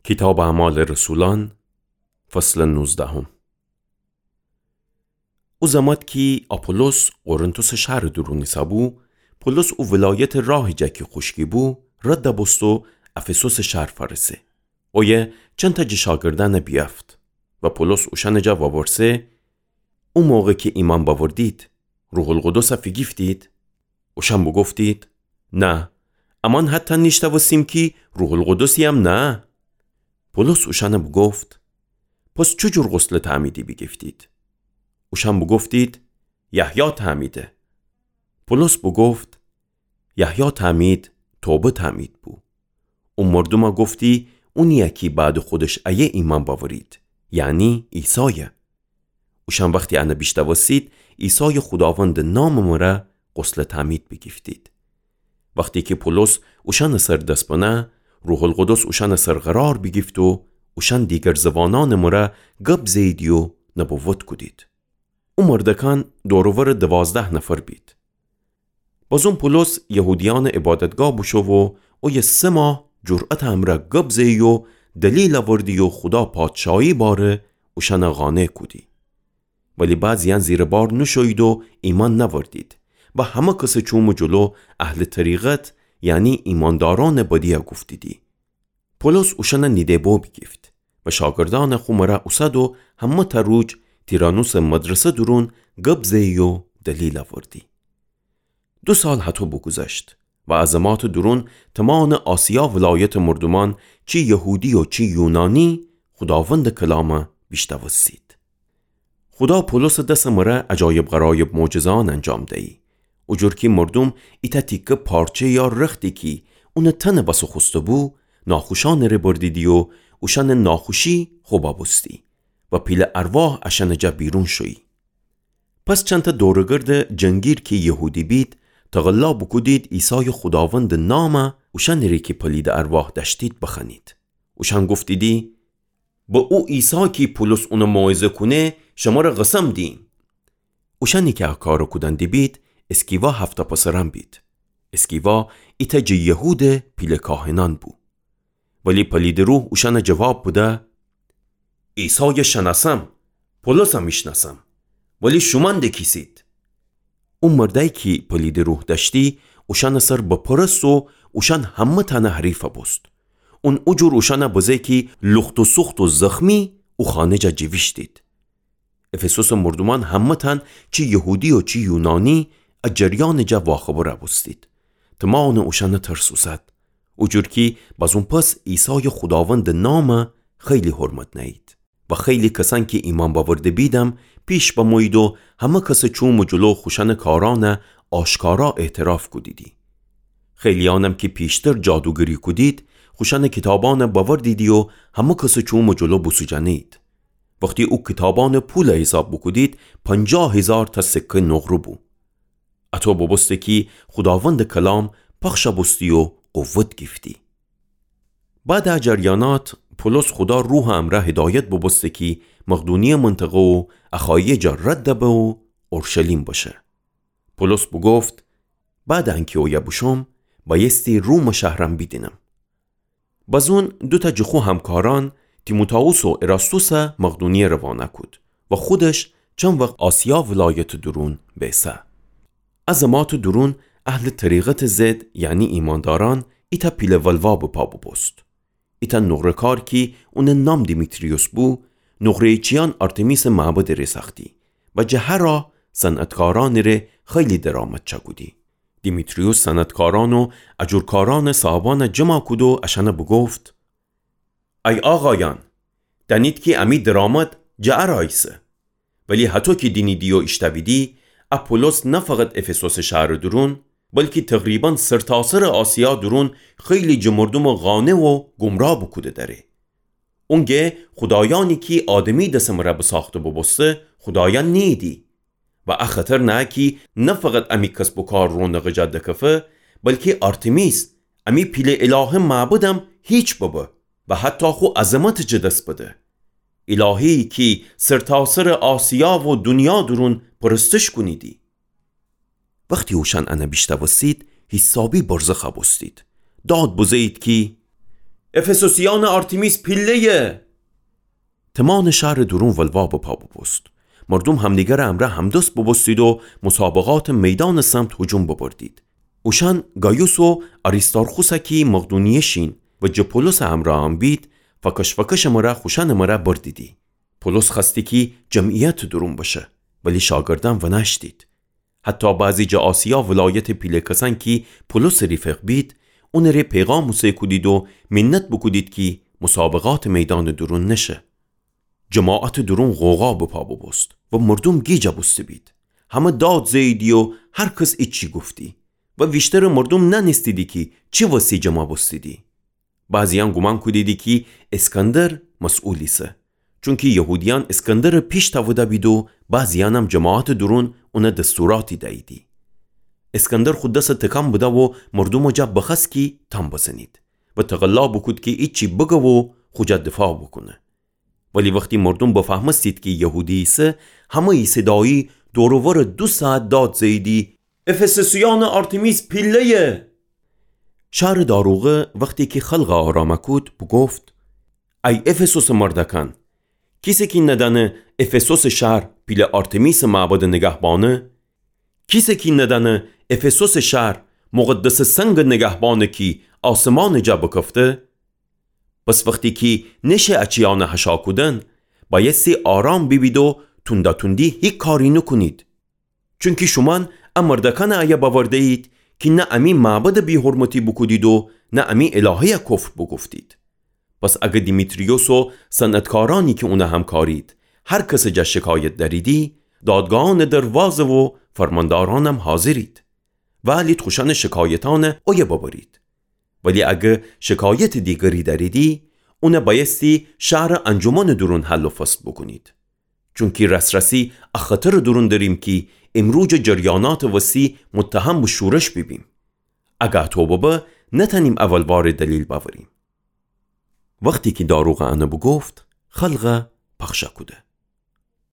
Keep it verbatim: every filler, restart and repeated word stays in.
کیتابٚ اعمالٚ رسولأن، فصلٚ نوزدهم. او زمات کی آپولوس قرنتوسٚ شهرٚ دورون ایسه‌بو، پولس او ولایتٚ راهٚ جا کی خوشکی بو، رد بوست و افسوسٚ شهر فأرسه. اویه چنتأ جٚه شاگردأن بیأفت و پولس اوشأنٚ جا وورسه، او موقع کی ایمأن بأوردید، روح‌القدس فیگیفتید؟ اوشأن بوگفتید، نه، امأن حتی نیشتوستیم کی روح‌القدسی‌یم نأ. پولس اوشأن بوگفت، پس چوجور غسلٚ تعمیدی بیگیفتید؟ اوشأن بوگفتید، یحیی تعمیده. پولس بوگفت، یحیی تعمید توبه تعمید بو. او مردومَ گفتی، اونی‌یه کی بعدٚ خودش ایه ایمأن بأورید، یعنی عیسایه. اوشأن وختی انَ بیشتوستید، عیسایٚ خوداوندٚ نامٚ مره غسلٚ تعمید بیگیفتید. وختی کی پولس اوشأنٚ سر دس بنه، روح‌القدس اوشأنٚ سر قرار بیگیفت و اوشأن دیگر زبانأنٚ مره گب زه‌ییدی و نبوت کودید. او مردکأن دور و ورٚ دوازده نفر بید. بازون پولس یهودیأنٚ عبادتگاه بوشو و اویه سه ماه جرأتٚ امرأ گب زه‌یی و دلیل اوردی و خودا پادشاهی باره اوشأنَ قانع کودی. ولی بعضی‌یأن زیرٚ بار نوشویید و ایمأن نأوردید و همه کسٚ چومٚ جلو اهلٚ طریقت، یعنی ایمأندارأنٚ بدی‌یَ گفتیدی. پولس اوشأنَ نیده بو بیگیفت و شاگردأنَ خو مره اوسد و همه‌تأ روج تیرانوسٚ مدرسه دورون گب زه‌یی و دلیل اوردی. دو سال هطو بوگوذشت و ا زماتٚ دورون تومانٚ آسیا ولایتٚ مردومأن، چی یهودی و چی یونانی، خوداوندٚ کلامَ بیشتوستید. خودا پولسٚ دسٚ مره عجایب غرایب معجزه‌أن انجام دیی. او جور کی مردوم ایتأ تیکه پارچه یا رختی کی اونٚ تنٚ وسه خوسته‌بو، ناخوشأنٚ ره بردیدی و اوشأنٚ ناخوشی خو ببوستی و پیله ارواح اشأنٚ جا بیرون شویی. پس چندتأ دورٚ گردٚ جنگیر کی یهودی بید، تقلا بوکودید عیسایٚ خوداوندٚ نامَ اوشأنٚ ره کی پلیدٚ ارواح دأشتید بخوأنید. اوشأن گفتیدی، به او عیسی کی پولس اونَ موعظه کونه، شمره قسم دییم. اوشأنی کی ا کارَ کودن دیبید، اسکیوا هفت‌تأ پسرأن بید. اسکیوا ایتأ جٚه یهودٚ پیله کاهنأن بو. ولی پلیدٚ روح اوشأنَ جواب بده، عیسایَ شنأسم، پولسم ایشنأسم، ولی شومأن د کیسید؟ او مردأیی کی پلیدٚ روح دأشتی، اوشأنٚ سر بپرست و اوشأن همه‌تأنٚ حریف بوست. اون او جور اوشأنَ بزه کی لخت و سوخت و زخمی او خانه جا جیویشتید. افسوسٚ مردومأن همه‌تأن، چی یهودی و چی یونانی، ا جریانٚ جا واخبر بوستید. تومانٚ اوشأنَ ترس اوسد. او جور کی بازون پس عیسایٚ خوداوندٚ نامَ خیلی حرمت نأیید. و خیلی کسأن کی ایمأن بأورده بیدم پیش بمویید و همه کسٚ چومٚ جلو خوشأنٚ کارأنَ آشکارا اعتراف کودیدی. خیلی‌یأنم کی پیشتر جادوگری کودید، خوشأنٚ کیتابأنَ بأوردیدی و همه کسٚ چومٚ جلو بوسوجأنه‌یید. وختی او کیتابأنٚ پولَ حیساب بوکودید، پنجاه هیزارتأ سکه نقره بو. اطو ببوسته کی خوداوندٚ کلام پخش بوستی و قوت گیفتی. بعدٚ ا جریانات، پولس خودا روحٚ امرأ هدایت ببوسته کی مقدونیه منطقه و اخایه جا رد به و اورشلیم بشه. پولس بوگفت، بعدٚ انکی اویه بوشوم، بأیستی رومٚ شهرم بیدینم. بزون دوتأ جٚه خو همکارأن، تیموتائوس و اراستوسَ مقدونیه روانه کود و خودش چند وخت آسیا ولایتٚ دورون بیسه. ا زماتٚ دورون اهلٚ طریقتٚ ضد، یعنی ایمأندارأن، ایتأ پیله ولوا به پا ببوست. ایتأ نقره‌کار کی اونٚ نام دیمیتریوس بو، نقره‌چیأن آرتمیسٚ معبدٚ ره سأختی و جٚه هر راه صنعتکارأنٚ ره خیلی درآمد چأکودی. دیمیتریوس صنعتکارأن و ا جور کارأنٚ صاحبأنَ جمع کود و اشأنَ بوگفت، ای آقایأن، دأنید کی امی درآمد جٚه ا راه ایسه. ولی هطو کی دینیدی و ایشتأویدی، ا پولس نه فقط افسوسٚ شهرٚ دورون، بلکی تقریباً سرتاسرٚ آسیا دورون خیلی جٚه مردومَ قانع و گمراه بوکوده دأره. اونگه خودایأنی کی آدمی دسٚ مره بساخته ببوسته، خودایأن نیییدی. و ا خطر نهه کی نه فقط امی کسب و کار رونقٚ جا دکفه، بلکی آرتمیس، امی پیله الهه معبدم هیچ ببه و حتی خو عظمتَ جٚه دس بده. الهه‌یی کی سرتاسرٚ آسیا و دونیا دورون پرستش کونیدی. وختی اوشأن انَ بیشتأوستید، حیسابی برزخ بوستید. داد بزه‌یید کی، افسوسیأنٚ آرتمیس پیله‌یه! تمانٚ شهرٚ دورون ولوا به پا بوبوست. مردوم همدیگرٚ امرأ همدست بوبوستید و مسابقاتٚ میدانٚ سمت هجوم ببردید. اوشأن گایوس و آریستارخوسَ کی مقدونیه‌شین و جٚه پولسٚ امرأ بید، فکش‌فکشٚ مره خوشأنٚ مره بردیدی. پولس خوأستی کی جمعیتٚ دورون بشه، ولی شاگردأن ونأشتید. حتی بعضی جٚه آسیا ولایتٚ پیله کسأن کی پولسٚ ریفق بید، اونٚ ره پیغام اوسه کودید و منت بوکودید کی مسابقاتٚ میدانٚ دورون نشه. جماعتٚ دورون غوغا به پا بوبوست و مردوم گیج بوسته بید. همه داد زه‌ییدی و هر کس ایچی گفتی و ویشترٚ مردوم نأنستیدی کی چی وسی جمع بوستیدی. بعضیأن گومان کودیدی کی اسکندر مسئول ایسه، چونکی یهودیأن اسکندرٚ پیش تأوده بید و بعضیأنم جماعتٚ دورون اون دستوراتی دییدی. اسکندر خو دسَ تکان بده و مردومٚ جا بخوأست کی تام بزنید و تقلا بوکود کی ایچی بگه و خو جا دفاع بوکونه. ولی وختی مردوم بفهمستید کی یهودی ایسه، همه‌یی صدایی دور و ورٚ دو ساعت داد زه‌ییدی: افسوسیأنٚ آرتمیس پیله‌یه! شهرٚ داروغه وختی کی خلقَ آرام کود، بوگفت: ای افسوسٚ مردأکأن، کیسه کی ندأنه افسوسٚ شهر پیله آرتمیسٚ معبدٚ نگهبانه، کیسه کی ندأنه افسوسٚ شهر مقدسٚ سنگٚ نگهبانه کی آسمانٚ جا بکفته. پس وختی کی نشه اَ چیأنَ هشا کودن، بأیستی آرام بیبید و توندا توندی هیکاری نوکونید. چونکی شومأن اَ مردأکأنَ ایه بأورده‌یید کی نه امی معبدَ بی‌حرمتی بوکودید و نه امی الهه‌یَ کفر بوگفتید. پس اگر دیمیتریوس و صنعتکارأنی کی اونَ همکارید، هر کسٚ جا شکایت دأریدی، دادگاهأنٚ در وازه و فرماندارأنم حاضرید. وئلید خوشأنٚ شکایتأنَ اویه ببرید. ولی اگر شکایتٚ دیگری دأریدی، اونَ بأیستی شهرٚ انجمنٚ دورون حل و فصل بوکونید. چونکی راس‌راسی اَ خطرٚ دورون دأریم کی ایمروجٚ جریانأتٚ وسی متهم به شورش بیبیم. اگر اَتو ببه، نتأنیم اول وارٚ دلیل بأوریم. وختی کی داروغ اَنَ بوگفت، خلقَ پخشَ کوده.